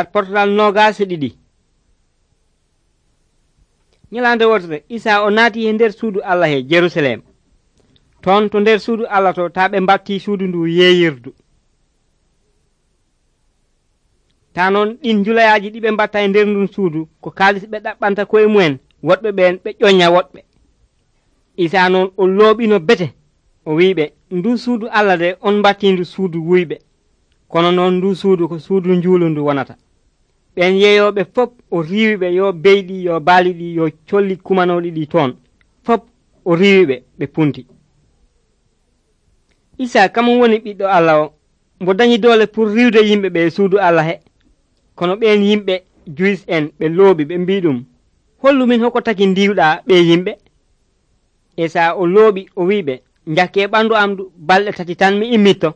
Portal nogas ɗiɗi. Nyalande wotere Isa o naati e nder suudu Allah he Jerusalem. Ton to nder suudu Allah to taa ɓe mbatti suudu ndu yeeyirdu. Ta noon ɗin julayaaji ɗi ɓe mbatta e nder ndun suudu ko kaalis ɓe ɗaɓɓanta koye mumen woɗɓe ɓen ɓe ƴoñña woɗɓe. Isa noon o looɓino bete o wiiɓe ndu suudu Allah de on mbatti ndu suudu wuyɓe, kono noon ndu suudu ko suudu njuulu ndu wonata. ɓen yeeyoɓe fof o riiwiɓe yo beyɗi yo baaliɗi yo colli kumanoɗi ɗi toon fof o riiwiɓe ɓe punti. Isa kamum woni ɓiɗɗo Allah o mbo dañi doole pour riwde yimɓe ɓe suudu Allah he, kono ɓen yimɓe Juis en ɓe looɓi ɓe mbi ɗum hollu min hoko taki ndiwɗa ɓe yimɓe. Isa o looɓi o wiɓe njakke ɓandu am balɗe 3 tan mi immitto.